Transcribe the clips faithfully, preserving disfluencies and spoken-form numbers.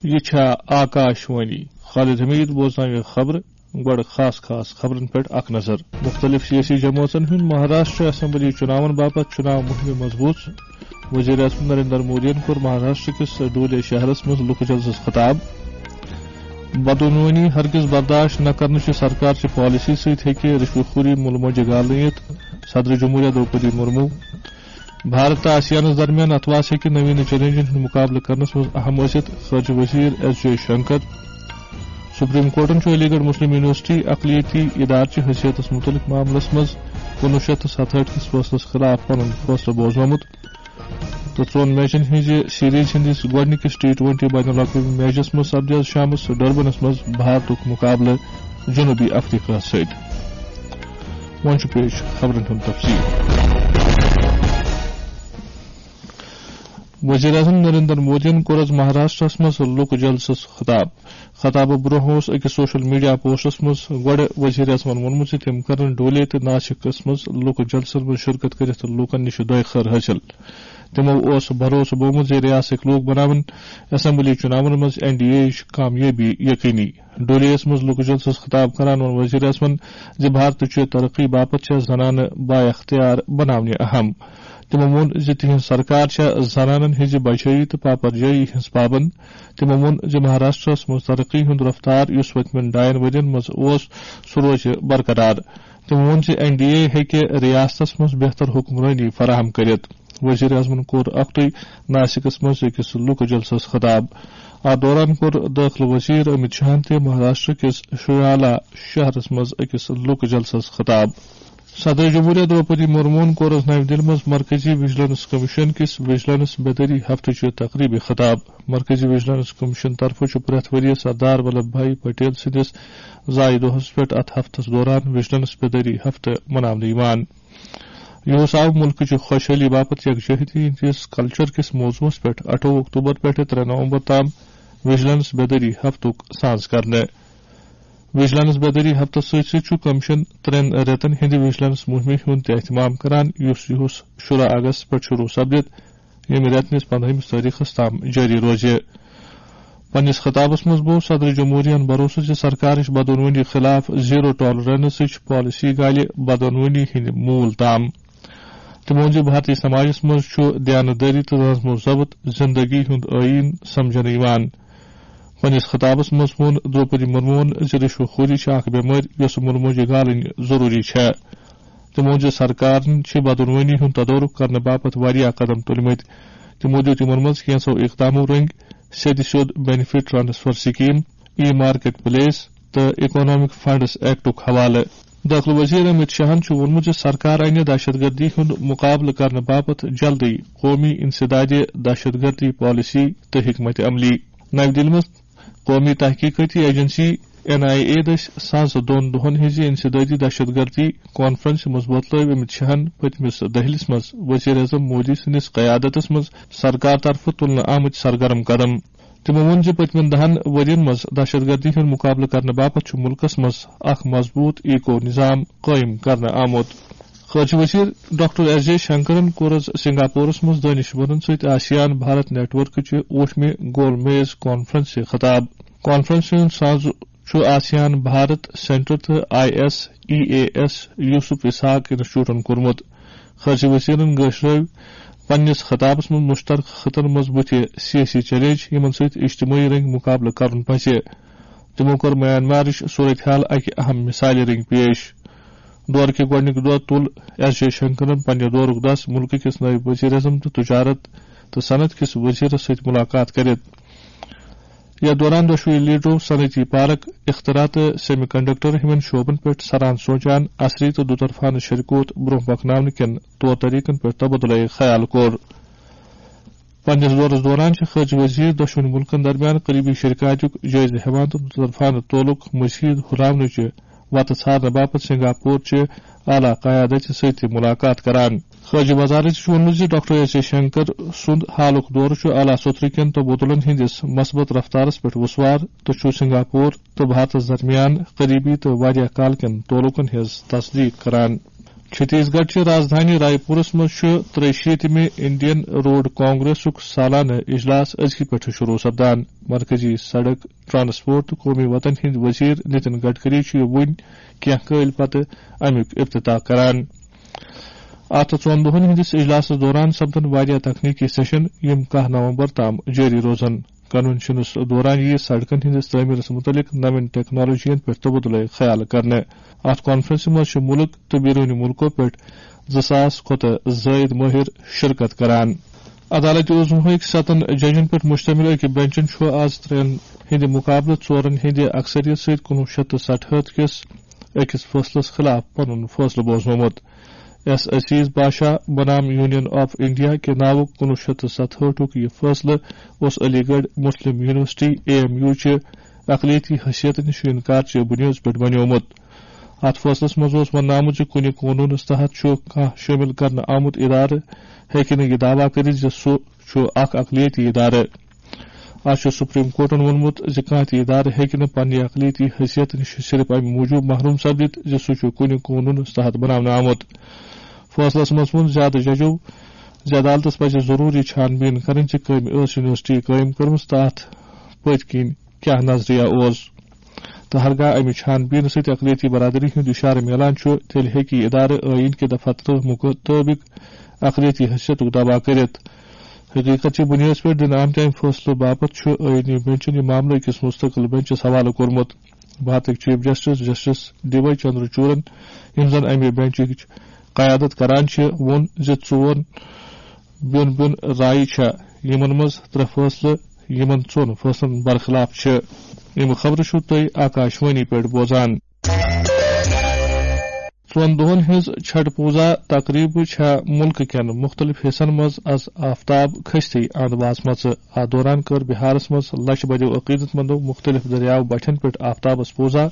یہِ چھا آکاش وانی۔ خالد حمید بوزناوِ خبرٕ۔ گۄڈٕ خاص خاص خبرن پٮ۪ٹھ اکھ نظر۔ مُختٔلِف سیٲسی جمٲژن ہُنٛد مہاراشٹر اسمبلی چُناون باپتھ چُناو مُہِم مضبوٗط۔ وزیر اعظم نریندر مودیَن کوٚر مہاراشٹر کِس ڈولے شہرس منٛز لُکہٕ جلسس خطاب۔ بدعنوٲنی ہرگز برداشت نہ کرنٕچہِ سرکار چہِ پالیسی سۭتۍ ہیٚکہِ رشوت خوری مُلہٕ مۄنجہِ گالنہٕ یِتھ، صدر جمہوریہ دروپدی مرمو۔ بھارت تہٕ آسیانس درمیان اتھواس ہیٚکہِ نوین چیلنجن ہُنٛد مُقابلہٕ کرنس منٛز اہم ٲسِتھ، خارجہ وزیر ایس جے شنکر۔ سپریم کورٹن چھُ علی گڑھ مسلم یونیورسٹی اقلیتی ادارٕ چہِ حیثیتس مُتعلق معاملس منٛز کُنوُہ شیٚتھ تہٕ ستہٲٹھ کِس فٲصلس خلاف پنُن فٲصلہٕ بوزنومُت۔ تہٕ ژۄن میچن ہٕنٛزِ سیریز ہٕنٛدِس گۄڈٕنِکِس ٹی ٹوینٹی بین الاقوٲمی میچس منٛز سپدِ آز شامس ڈربنس منٛز بھارتُک مُقابلہٕ جنوبی افریقہ سۭتۍ۔ وۄنۍ چھُ پیش خبرن ہُنٛد تفصیل۔ وزیر اعظم نریندر مودیَن کوٚر آز مہاراشٹرس منٛز لُکہٕ جلسس خطاب۔ خطابہٕ برونٛہہ اوس أکِس سوشل میڈیا پوسٹس منٛز گۄڈٕ وزیر اعظمن ووٚنمُت زِ تِم کرن ڈولے تہٕ ناسکس منٛز لُکہٕ جلسن منٛز شرکت کٔرِتھ لوٗکن نِش دۄیہِ خٲر حٲصِل۔ تِمو اوس بھروسہٕ بومُت زِ ریاستٕکۍ لوٗکھ بناون اسمبلی چُناون منٛز این ڈی اے یٕچ کامیٲبی یقینی۔ ڈولیَس منٛز لُکہٕ جلسس خطاب کران ووٚن وزیر اعظمن زِ بھارتٕچہِ ترقی باپتھ چھےٚ زنانہٕ بااختیار بناونہِ اہم۔ تِمو ووٚن زِ تِہنٛز سرکار چھےٚ زنانن ہٕنٛزِ بجٲیی تہٕ پاپرجٲیی ہٕنٛز پابند۔ تِمو ووٚن زِ مہاراشٹرس منٛز ترقی ہُنٛد رفتار، یُس پٔتمٮ۪ن ڈاین ؤرین منٛز اوس، سُہ روزِ برقرار۔ تِمو ووٚن زِ این ڈی اے ہیٚکہِ ریاستس منٛز بہتر حکمرٲنی فراہم کٔرِتھ۔ وزیر اعظمن کوٚر اکھتُے ناسکس منٛز أکِس لُکہٕ جلسس خطاب۔ اتھ دوران کوٚر دٲخلہٕ وزیر امت شاہن تہِ مہاراشٹر کِس شُیالا شہرس منٛز أکِس لُکہٕ جلسس خطاب۔ صدر جمہوریہ دروپدی مرموہن کوٚر آز نَوِ دِلہِ منٛز مرکزی وجیلنس کمیشن کِس وجیلنس بیدٲری ہفتہٕ چہِ تقریبہِ خطاب۔ مرکزی وجیلنس کمیشن طرفہٕ چھُ پرٛٮ۪تھ ؤرۍ یہِ سردار ولبھ بھائی پٹیل سٕنٛدِس زایہِ دۄہس پٮ۪ٹھ اتھ ہفتس دوران وجیلنس بیدٲری ہفتہٕ مناونہٕ یِوان۔ یہِ اوس آو مُلکٕچہِ خۄشحٲلی باپتھ یکجہتی ہٕنٛدِس کلچر کِس موضوعس پٮ۪ٹھ اَٹھووُہ اکتوبر پٮ۪ٹھٕ ترٛےٚ نومبر تام وجیلنس بیدٲری ہفتُک سانز کرنہٕ۔ وجیلنس بیدٲری ہفتس سۭتۍ سۭتۍ چھُ کمیشن ترٛٮ۪ن رٮ۪تن ہٕنٛدِ وجیلنس مُہِمہِ ہُنٛد تہِ اہتمام کران، یُس یِہُس شُراہ اگست پٮ۪ٹھ شروع سپدِ، ییٚمہِ رٮ۪تہٕ نِس پندہمِس تٲریخس تام جٲری روزِ۔ پننِس خطابس منٛز بوو صدر جمہوریہن بھروسہٕ زِ سرکارٕچ بدعنوٲنی خلاف زیرو ٹالرنسٕچ پالیسی گالہِ بدعنوٲنی ہٕنٛدِ موٗل تام۔ تٔمۍ ووٚن زِ بھارتی سماجس منٛز چھُ دیانتداری تہٕ نظم و ضبط زندگی ہُنٛد ٲییٖن سمجھنہٕ یِوان۔ پننِس خطابس منٛز ووٚن دروپدی مرموہن زِ رشوت خوری چھِ اکھ بٮ۪مٲرۍ یۄسہٕ مُلموجہِ گالٕنۍ ضروٗری چھےٚ۔ تٔمۍ ووٚن زِ سرکارن چھِ بدعنوٲنی ہُنٛد تدارک کرنہٕ باپتھ واریاہ قدم تُلمٕتۍ۔ تِمو دِیُت یِمن منٛز کینٛژو اقدامو رٔنگۍ سیٚدِ سیوٚد بینیفٹ ٹرانسفر سکیم، ای مارکیٹ پلیس تہٕ اکنامک فنڈز ایکٹُک حوالہٕ۔ دٲخلہٕ وزیر امت شاہن چھُ ووٚنمُت زِ سرکار انہِ دہشت گردی ہُنٛد مُقابلہٕ کرنہٕ باپتھ جلدٕے قومی انسدادِ دہشت گردی پالیسی تہٕ حکمت عملی۔ نَوِ دِلہِ منٛز قومی تحقیقاتی ایجنسی این آئی اے دٔسۍ سانٛزٕ دۄن دۄہن ہٕنٛزِ انسدادی دہشت گردی کانفرنسہِ منٛز وۄتلٲوۍ امت شاہن پٔتمِس دٔہلِس منٛز وزیر اعظم مودی سٕنٛدِس قیادتس منٛز سرکار طرفہٕ تُلنہٕ آمٕتۍ سرگرم قدم۔ تِمو ووٚن زِ پٔتمٮ۪ن دَہَن ؤرۍ یَن منٛز دہشت گردی ہُنٛد مُقابلہٕ کرنہٕ باپتھ چھُ مُلکَس منٛز اکھ مضبوٗط ایکو نظام قٲیِم کرنہٕ آمُت۔ خارجہ وزیر ڈاکٹر ایس جے شنکرَن کوٚر آز سنگاپورَس منٛز دانشورَن سۭتۍ آسیان بھارت نیٹ ورکٕچہِ ٲٹھمہِ گول میز کانفرنسہِ خطاب۔ کانفرنسہِ ہُنٛد ساز چھُ آسیان بھارت سینٹر تہٕ I S E A S Yusof Ishak انسٹیٹیوٹَن کوٚرمُت۔ خارجہ وزیرَن گٲشرٲوۍ پننِس خطابس منٛز مشترکہ خطن منٛز بُتھِ سیٲسی چیلنج، یِمن سۭتۍ اجتمٲعی رنگۍ مُقابلہٕ کرُن پزِ۔ تِمو کوٚر میانمارٕچ صورتحال اکہِ اہم مثالہِ رنگۍ پیش۔ دورٕ کہِ گۄڈٕنِکۍ دۄہ تُل ایس جے شنکرن پننہِ دورُک دس مُلکہٕ کِس نٲیِب وزیر اعظم تہٕ تجارت تہٕ صنعت کِس وزیرس سۭتۍ مُلاقات کٔرِتھ۔ یتھ دوران دۄشوٕے لیڈرو صنعتی پارک، اختراع تہٕ سیمی کنڈکٹر ہِوٮ۪ن شعبن پٮ۪ٹھ سران سونچان، اثری تہٕ دُطرفانہٕ شریکوت برونٛہہ پکناونہٕ کٮ۪ن طور طریقن پٮ۪ٹھ تبادلہ خیال کوٚر۔ پننِس دورس دوران چھِ خارجہ وزیر دۄشوٕنی مُلکن درمیان قریبی شرکاتُک جٲیزٕ ہٮ۪وان تہٕ دُطرفانہٕ تعلق مزید ہُراونٕچہِ وتہٕ ژھارنہٕ باپتھ سنگاپور چہِ اعلیٰ قیادت سۭتۍ تہِ مُلاقات کران۔ خارجہ وزارت چھُ ووٚنمُت زِ ڈاکٹر ایس جے شنکر سُنٛد حالُک دورٕ چھُ اعلیٰ سطرٕ کٮ۪ن تبادلن ہٕنٛدِس مثبت رفتارس پٮ۪ٹھ وُسوار تہٕ چھُ سنگاپور تہٕ بھارتس درمیان قریبی تہٕ واریاہ کال کٮ۪ن تعلقن ہٕنٛز تصدیق کران۔ چھتیس گڑھ چہِ راجدھانی رائے پورس منٛز چھُ ترٛیہِ شیٖتمہِ انڈین روڈ کانگریسُک سالانہٕ اجلاس أزکہِ پٮ۪ٹھٕ شروع سپدان۔ مرکزی سڑک، ٹرانسپورٹ تہٕ قومی وتن ہٕنٛدۍ وزیر نتن گڈکری چھُ وُنۍ کینٛہہ کٲلۍ پتہٕ امیُک افتتاح کران۔ اتھ ژۄن دۄہن ہٕنٛدِس اجلاسس دوران سپدن واریاہ تکنیکی سیشن، یِم کاہ نومبر تام جٲری روزن۔ کنونشنس دوران یِیہِ سڑکن ہٕنٛدِس تعمیرس مُتعلق نوٮ۪ن ٹیکنالوجین پٮ۪ٹھ تبادلہٕ خیال کرنہٕ۔ اتھ کانفرنسہِ منٛز چھِ مُلک تہٕ بیروٗنی مُلکو پٮ۪ٹھ زٕ ساس کھۄتہٕ زٲیِد مٲہِر شرکت کران۔ عدالت عظمیٰ ہٕکۍ ستن ججن پٮ۪ٹھ مشتمل أکۍ بنچن چھُ آز ترٛٮ۪ن ہٕنٛدِ مقابلہٕ ژورن ہٕنٛدِ اکثریت سۭتۍ کُنوُہ شیٚتھ تہٕ ستہٲٹھ کِس أکِس فٲصلس خلاف پنُن فٲصلہٕ بوزنومُت۔ ایس عزیز باشا بنام یونین آف انڈیا کہِ ناوُک کُنوُہ شیٚتھ تہٕ ستہٲٹھُک یہِ فٲصلہٕ اوس علی گڑھ مسلم یونیورسٹی، اے ایم یو، چہِ اقلیتی حیثیت نِش انکار چہِ بنیٲدس پٮ۪ٹھ بنیومُت۔ اتھ فٲصلس منٛز اوس وننہٕ آمُت زِ کُنہِ قونوٗنس تحت چھُ کانٛہہ شٲمِل کرنہٕ آمُت ادارٕ ہیٚکہِ نہٕ یہِ دعویٰ کٔرِتھ زِ سُہ چھُ اکھ اقلیتی ادارٕ۔ از چھُ سپریم کورٹَن ووٚنمُت زِ کانٛہہ تہِ ادارٕ ہیٚکہِ نہٕ پننہِ اقلیتی حیثیت نِش صرف امہِ موٗجوٗب محروم سپدِتھ زِ سُہ چھُ کُنہِ قونوٗنس تحت بناونہٕ آمُت۔ فٲصلَس منٛز ووٚن زیادٕ ججو زِ عدالتَس پَزِ ضروٗری چھان بیٖن کرٕنۍ زِ کٔمۍ ٲس یونیورسٹی قٲیِم کٔرمٕژ تہٕ اَتھ پٔتۍ کِنۍ کیٛاہ نظریہ اوس۔ تہٕ ہرگاہ امہِ چھان بیٖنہٕ سۭتۍ اقلیتی برادری ہُنٛد اِشارٕ میلان چھُ، تیٚلہِ ہیٚکہِ یہِ ادارٕ ٲیٖن کہِ دفعہ ترٕہ مُطٲبِق اقلیتی حیثیتُک دعویٰ کٔرِتھ۔ حقیقت چہِ بُنیٲدس پٮ۪ٹھ دِنہٕ آمتہِ امہِ فٲصلہٕ باپتھ چھُ ٲیٖنی بنچن یہِ معاملہٕ أکِس مستقل بنچس حوالہٕ کوٚرمُت۔ بھارتٕکۍ chief justice justice D Y چندرچوڑن، یِم زن امہِ بنچٕچ قیادت کران چھِ، ووٚن زِ ژور بیوٚن بیوٚن رایہِ چھےٚ، یِمن منٛز ترٛےٚ فٲصلہٕ یِمن ژۄن فٲصلن برخلاف چھِ۔ یِم خبرٕ چھِو تُہۍ آکاشوانی پٮ۪ٹھ بوزان۔ ژۄن دۄہن ہٕنٛز چھٹھ پوٗزا تقریبہٕ چھےٚ مُلکہٕ کٮ۪ن مُختٔلِف حصن منٛز از آفتاب کھٔستی اند واژمژٕ۔ اتھ دوران کٔر بِہارس منٛز لچھ بدیو عقیدت مندو مُختٔلِف دٔریاو بٹھٮ۪ن پٮ۪ٹھ آفتابس پوٗزا۔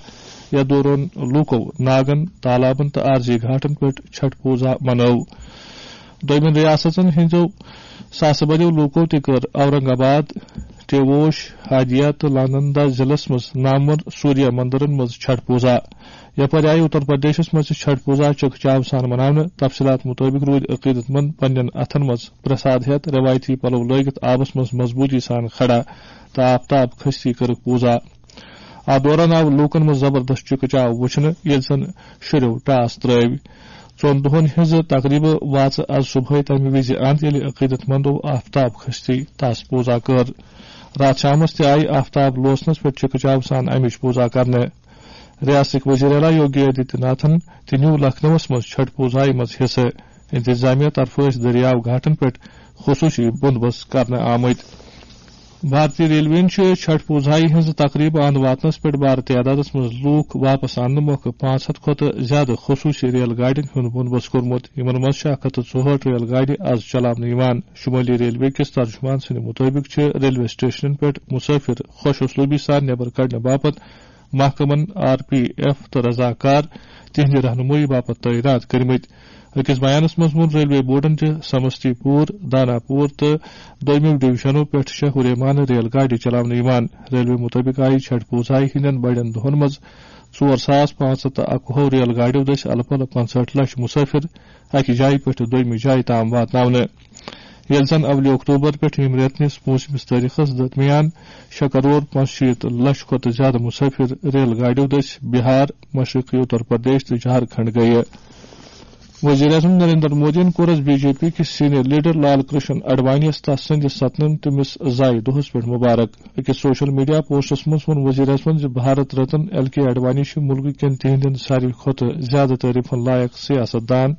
یتھ دوران لوٗکو ناگن، تالابن تہٕ عارضی گھاٹن پٮ۪ٹھ چھٹھ پوٗزا منٲو۔ دوٚیمٮ۪ن ریاستن ہٕنٛدیو ساسہٕ بدیو لوٗکو تہِ کٔر اورنگ آباد، ٹیووش، ہادیا تہٕ لالندا ضلعس منٛز نامور سوریہ مندرن منٛز چھٹھ پوٗزا۔ یپٲرۍ آیہِ اتر پردیشس منٛز تہِ چھٹھ پوٗزا چکہ چاو سان مناونہٕ۔ تفصیلات مُطٲبِق روٗدۍ عقیدت مند پننٮ۪ن اتھن منٛز پرساد ہٮ۪تھ، رٮ۪وایتی پلو لٲگِتھ آبس منٛز مضبوٗطی سان کھڑا تہٕ آفتاب کھٔستی کٔرٕکھ پوٗزا۔ اتھ دوران آو لوٗکن منٛز زبردست چکہ چاو وُچھنہٕ، ییٚلہِ زن شُرٮ۪و ٹاس ترٲوۍ۔ ژۄن دۄہن ہٕنٛزٕ تقریبہٕ واژٕ از صبحٲے تمہِ وِزِ اند، ییٚلہِ عقیدت مندو آفتاب کھٔستی تس پوٗزا کٔر۔ راتھ شامس تہِ آیہِ آفتاب لوسنس پٮ۪ٹھ چکہ چاو سان امِچ پوٗزا کرنہٕ۔ ریاستٕکۍ وزیر اعلیٰ یوگی آدتیہ ناتھن تہِ نیوٗ لکھنؤَس منٛز چھٹھ پوٗزایہِ منٛز حصہٕ۔ انتظامیہ طرفہٕ ٲسۍ دٔریاو گھاٹن پٮ۪ٹھ خصوٗصی بندوبست کرنہٕ آمٕتۍ۔ بھارتی ریلویَن چھِ چھٹھ پوٗزایہِ ہٕنٛز تقریبہٕ اند واتنس پٮ۪ٹھ بارٕ تعدادس منٛز لوٗکھ واپس اننہٕ مۄکھٕ پانٛژھ ہتھ کھۄتہٕ زیادٕ خصوٗصی ریل گاڑٮ۪ن ہُنٛد بندوبست کوٚرمُت۔ یِمن منٛز چھِ اکھ ہتھ تہٕ ژُہٲٹھ ریل گاڑِ از چلاونہٕ یِوان۔ شمٲلی ریلوے کِس ترجمان سٕنٛدِ مُطٲبِق چھِ ریلوے سٹیشنن پٮ۪ٹھ مُسافِر خۄش اُسلوٗبی سان نٮ۪بر کڑنہٕ باپتھ محکمن، آر پی ایف تہٕ رضاکار تِہنٛدِ رہنمٲیی باپتھ تعینات کٔرمٕتۍ۔ أکِس بیانس منٛز ووٚن ریلوے بورڈن زِ سمستی پور، دانا پور تہٕ دوٚیمِو ڈویژنو پٮ۪ٹھ چھےٚ ہُریمانہٕ ریل گاڑِ چلاونہٕ یِوان۔ ریلوے مُطٲبِق آیہِ چھٹھ پوٗزایہِ ہٕنٛدٮ۪ن بڑٮ۪ن دۄہن منٛز ژور ساس پانٛژھ ہتھ تہٕ اَکوُہ ریل گاڑیو دٔسۍ الہٕ پلہٕ پنٛژہٲٹھ لچھ مُسافِر اکہِ جایہِ پٮ۪ٹھ دوٚیمہِ جایہِ تام واتناونہٕ۔ ییٚلہِ زن اولہِ اکتوبر پٮ۪ٹھ ییٚمہِ رٮ۪تہٕ نِس پوٗنٛژمِس تٲریخس درمیان شےٚ کرور پانٛژھ شیٖتھ لچھ کھۄتہٕ زیادٕ مُسافِر ریل گاڑیو دٔسۍ بِہار، مشرقی اتر پردیش تہٕ جھارکھنڈ گٔیہِ۔ وزیر اعظم نریندر مودیَن کوٚر از بی جے پی کِس سینئر لیڈر لال کرشن اڈوانیَس تس سٕنٛدِس ستنمتِمِس زایہِ دۄہس پٮ۪ٹھ مبارک۔ أکِس سوشل میڈیا پوسٹس منٛز ووٚن وزیر اعظمَن زِ بھارت رتن ایل کے اڈوانی چھِ مُلکہٕ کٮ۪ن تِہنٛدٮ۪ن ساروی کھۄتہٕ زیادٕ تعریفن لایق سیاست دان،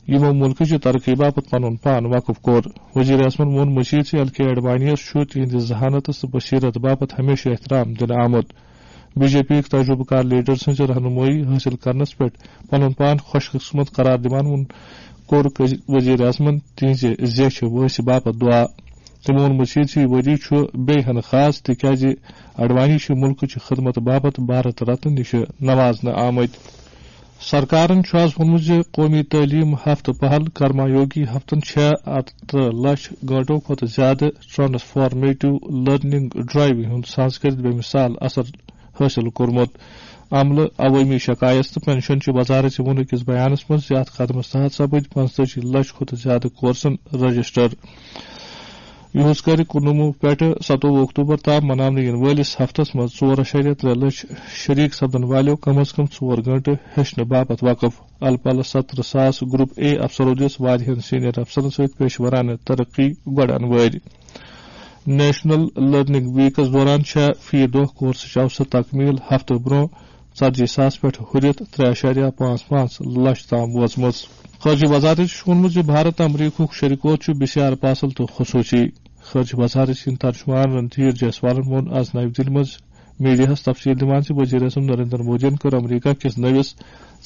یِمو مُلکٕچہِ ترقی باپتھ پنُن پان وقف کوٚر۔ وزیر اعظمَن ووٚن مزید زِ ایل کے اڈوانیَس چھُ تِہنٛدِ ذہانتس تہٕ بصیرت باپتھ ہمیشہٕ احترام دِنہٕ آمُت۔ بی جے پی یٕکۍ تجربہٕ کار لیڈر سٕنٛزِ رہنمٲیی حٲصِل کرنس پٮ۪ٹھ پنُن پان خۄش قسمت قرار دِوان ووٚن، کوٚر وزیر اعظمَن تِہنٛزِ زیچھِ وٲنٛسہِ باپتھ دُعا۔ تٔمۍ ووٚن مزید زِ یہِ ؤری چھُ بیٚیہِ ہن خاص، تِکیازِ اڈوانی چھِ مُلکٕچہِ خدمت باپتھ بھارت رتن نِش نوازنہٕ آمٕتۍ۔ سرکارن چھُ آز ووٚنمُت زِ قومی تعلیٖم ہفتہٕ پہل کرما یوگی ہفتن شےٚ ہتھ تہٕ لچھ گٲنٛٹو کھۄتہٕ زیادٕ ٹرانسفارمیٹو لرننگ ڈرائیو ہُنٛد سنسکرت بے مثال اثر حٲصِل کوٚرمُت۔ عملہٕ، عوٲمی شکایت تہٕ پنشن چہِ وزارت ووٚن أکِس بیانس منٛز زِ اتھ قدمس تحت سپٕدۍ پنٛژتٲجی لچھ کھۄتہٕ زیادٕ کورسن رجسٹر۔ یِہُس کرِ کُنوُہ پٮ۪ٹھٕ ستووُہ اکتوبر تام مناونہٕ یِنہٕ وٲلِس ہفتس منٛز ژور اَشاریہ ترٛےٚ لچھ شریک سپدن والیو کم از کم ژور گٲنٹہٕ ہیٚچھنہٕ باپتھ وقف۔ الہٕ پلہٕ ستترٕہ ساس گروپ اے افسرو دِژ واریاہن سینئر افسرن سۭتۍ پیشورانہٕ ترقی گۄڈٕ انوٲرۍ۔ نیشنل لرننگ ویکس دوران چھےٚ فی دۄہ کورسٕچ اوسط تکمیل ہفتہٕ برونٛہہ ژتجی ساس پٮ۪ٹھ ہُرِتھ ترٛےٚ اَشاریہ پانٛژھ پانٛژھ لچھ تام وٲژمٕژ۔ خارجہ وزارتَن چھُ ووٚنمُت زِ بھارت امریکہُک شریکوت چھُ بسیار پاسل تہٕ خصوٗصی۔ خارجہ وزارت سٕنٛدۍ ترجمان رنتھیر جیسوالن ووٚن آز نَوِ دِلہِ منٛز میڈیاہَس تفصیل دِوان زِ وزیر اعظم نریندر مودیَن کٔر امریکہ کِس نٔوِس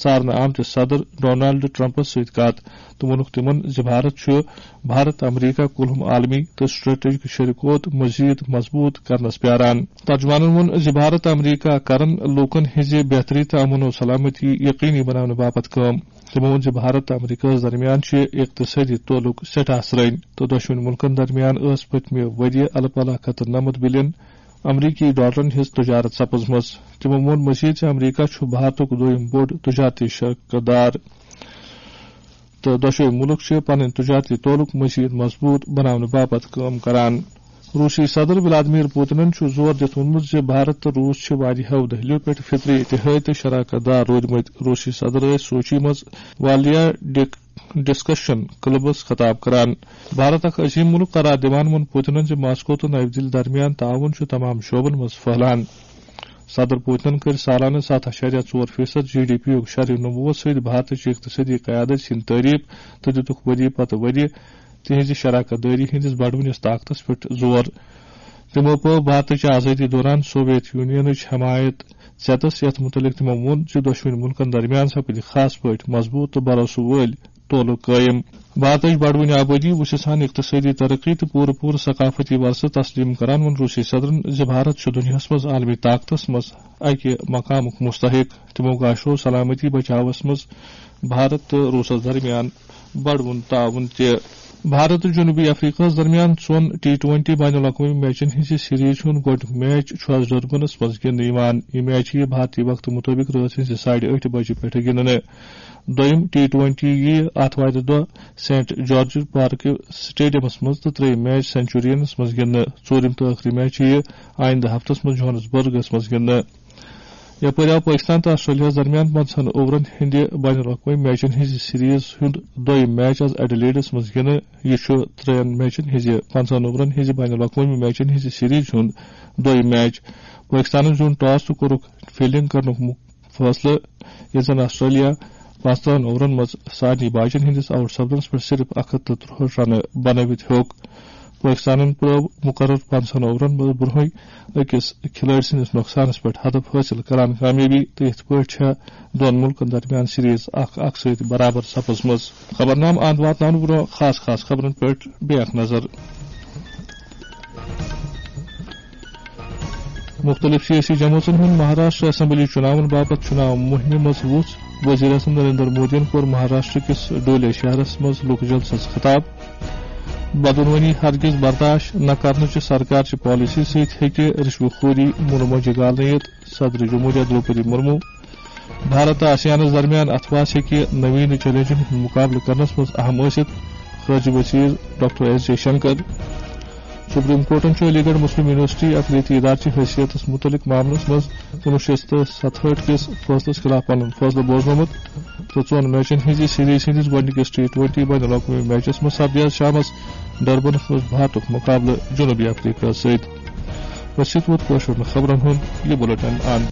ژارنہٕ آمتِس صدر ڈونالڈ ٹرمپس سۭتۍ کتھ تہٕ ووٚنُکھ تِمَن زِ بھارت چھُ بھارت امریکہ کُلہُم عالمی تہٕ سٹریٹجک شریکوت مزید مضبوط کرنس پیاران۔ ترجمانن ووٚن زِ بھارت امریکہ کرن لوٗکن ہٕنٛزِ بہتری تہٕ امن و سلامتی یقینی بناونہٕ باپتھ کٲم۔ تِمو ووٚن زِ بھارت تہٕ امریکہس درمیان چھِ اقتصٲدی تعلق سٮ۪ٹھاہ سرٛنۍ تہٕ دۄشوٕنی مُلکن درمیان ٲس پٔتمہِ ؤرۍ یہِ الہٕ پلہٕ اکھ ہتھ تہٕ نَمَتھ بلین امریکی ڈالرن ہٕنٛز تجارت سپٕزمٕژ۔ تِمو ووٚن مزید زِ امریکہ چھُ بھارتُک دوٚیُم بوٚڑ تجارتی شراکت دار تہٕ دۄشوٕے مُلک چھِ پنٕنۍ تجارتی تعلق مزید مضبوط بناونہٕ باپتھ کٲم کران۔ روسی صدر ولادمیر پوتنن چھُ زور دِتھ ووٚنمُت زِ بھارت تہٕ روس چھِ واریاہو دٔہلِیو پٮ۪ٹھ فطری اتحاد تہٕ شراکت دار روٗدمٕتۍ۔ روسی صدر ٲسۍ سوچی منٛز والیا ڈک-، ڈسکشن کلبس خطاب کران۔ بھارت اکھ عظیم مُلک قرار دِوان ووٚن پوتنن زِ ماسکو تہٕ نَوِ دِلہِ درمیان تعاون چھُ تمام شعبن منٛز پھٔہلان۔ صدر پوتنن کٔر سالانہٕ ستھ اَشاریہ ژور فیصد جی ڈی پی یُک شرح نمووس سۭتۍ بھارتٕچ اقتصٲدی قیادت سٕنٛدۍ تعریف تہٕ دِتُکھ ؤری پتہٕ ؤری تِہنٛزِ شراکت دٲری ہٕنٛدِس بڑوٕنِس طاقتس پٮ۪ٹھ زور۔ تِمو پٲو بھارتٕچ آزٲدی دوران سوویت یونینٕچ حمایت ژیتس، یتھ مُتعلق تِمو ووٚن زِ دۄشوٕنی مُلکن درمیان سپدِ خاص پٲٹھۍ مضبوٗط تہٕ بھروسہٕ وٲلۍ تعلق قٲیِم۔ بھارتٕچ بڑوٕنۍ آبٲدی، وُچھِتھ ہن اقتصٲدی ترقی تہٕ پوٗرٕ پوٗرٕ ثقافتی ورثہٕ تسلیم کران، ووٚن روسی صدرن زِ بھارت چھُ دُنیاہَس منٛز عالمی طاقتس منٛز اکہِ مقامُک مستحق۔ تِمو گاشرو سلامتی بچاوس منٛز بھارت تہٕ روسس درمیان بڑوُن تعاون تہِ۔ بھارت تہٕ جنوبی افریقہس درمیان ژۄن ٹی ٹوئنٹی بین الاقوٲمی میچن ہٕنٛزِ سیریز ہُنٛد گۄڈٕنیُک میچ چھُ آز ڈربنس منٛز گِنٛدنہٕ یِوان۔ یہِ میچ یِیہِ بھارتی وقتہٕ مُطٲبِق رٲژ ہٕنٛزِ ساڑِ ٲٹھِ بجہِ پٮ۪ٹھٕ گِنٛدنہٕ۔ دوٚیِم ٹی ٹوئنٹی یِیہِ آتھوارِ دۄہ سینٹ جارج پارک سٹیڈیمس منٛز تہٕ ترٛیٚیِم میچ سینچورینس منٛز گِنٛدنہٕ۔ ژوٗرِم تہٕ ٲخری میچ یِیہِ آیندٕ ہفتس منٛز جوہانسبرگس منٛز گِنٛدنہٕ۔ یپٲرۍ آو پٲکستان تہٕ آسٹریلیاہَس درمیان پنٛژاہَن اوورَن ہٕنٛدِ بین الاقوٲمی میچَن ہٕنٛزِ سیریز ہُنٛد دوٚیِم میچ آز ایڈیلیڈَس منٛز گِنٛدنہٕ۔ یہِ چھُ ترٛٮ۪ن میچَن ہٕنٛزِ، پنٛژاہَن اوورَن ہٕنٛزِ بین الاقوٲمی میچَن ہٕنٛزِ سیریز ہُنٛد دوٚیِم میچ۔ پٲکستانَن زیوٗن ٹاس تہٕ کوٚرُکھ فیلڈنگ کرنُک مُ-، فٲصلہٕ، ییٚلہِ زَن آسٹریلیا پانٛژترٕٛہَن اوورَن منٛز سارنٕے باجَن ہٕنٛدِس آوُٹ سپدنَس پٮ۪ٹھ صرف اَکھ ہَتھ تہٕ ترٛۆہَٹھ رنہٕ بنٲوِتھ ہیوٚک۔ پٲکستانَن پرٛٲو مُقرر پنٛژاہَن اوورَن منٛز برٛونٛہٕے أکِس کھلٲڑۍ سٕنٛدِس نۄقصانَس پٮ۪ٹھ ہدف حٲصِل کران کامیٲبی تہٕ یِتھ پٲٹھۍ چھےٚ دۄن مُلکَن درمیان سیریز اَکھ اَکھ سۭتۍ برابر سپٕزمٕژ۔ خبرنامہٕ اَنٛد واتناونہٕ برٛونٛہہ خاص خاص خبرَن پٮ۪ٹھ بیٚیہِ اَکھ نظر۔ مُختٔلِف سیٲسی جمٲژن ہُنٛد مہاراشٹر اسمبلی چُناون باپتھ چُناو مُہِمہِ منٛز وُژھ۔ وزیر اعظم نریندر مودیَن کوٚر مہاراشٹر کِس ڈولے شہرس منٛز لُکھ جلسس خطاب۔ بدعنوانی ہرگز برداشت نہ کرنٕچہِ سرکارچہِ پالیسی سۭتۍ ہیٚکہِ رشوت خوری مُنہٕ مۄنجہِ گالنہٕ یِتھ، صدر جمہوریہ دروپدی مرمو۔ بھارت تہٕ آسیانَس درمیان اَتھٕ واس ہیٚکہِ نوین چیلنجن ہُنٛد مُقابلہٕ کرنس منٛز اہم ٲسِتھ، خارجہ وزیر doctor S Jaishankar. Supreme کورٹَن چھُ علی گڑھ مسلم یونیورسٹی اقلیتی ادارٕ چہِ حیثیتس مُتعلق معاملس منٛز کُنوُہ شیٚتھ تہٕ ستہٲٹھ کِس فٲصلس خلاف پنُن فٲصلہٕ بوزنومُت تہٕ ژۄن میچن ہٕنٛزِ سیریز ہٕنٛدِس گۄڈٕنِکِس ٹی ٹوئنٹی بین الاقوٲمی میچس منٛز سپدِ آز شامس ڈربنس منٛز بھارتُک مُقابلہٕ جنوبی افریقہ سۭتۍ۔ أتھۍ سۭتۍ ووت کٲشرٮ۪ن خبرن ہُنٛد یہِ بلیٹن اند۔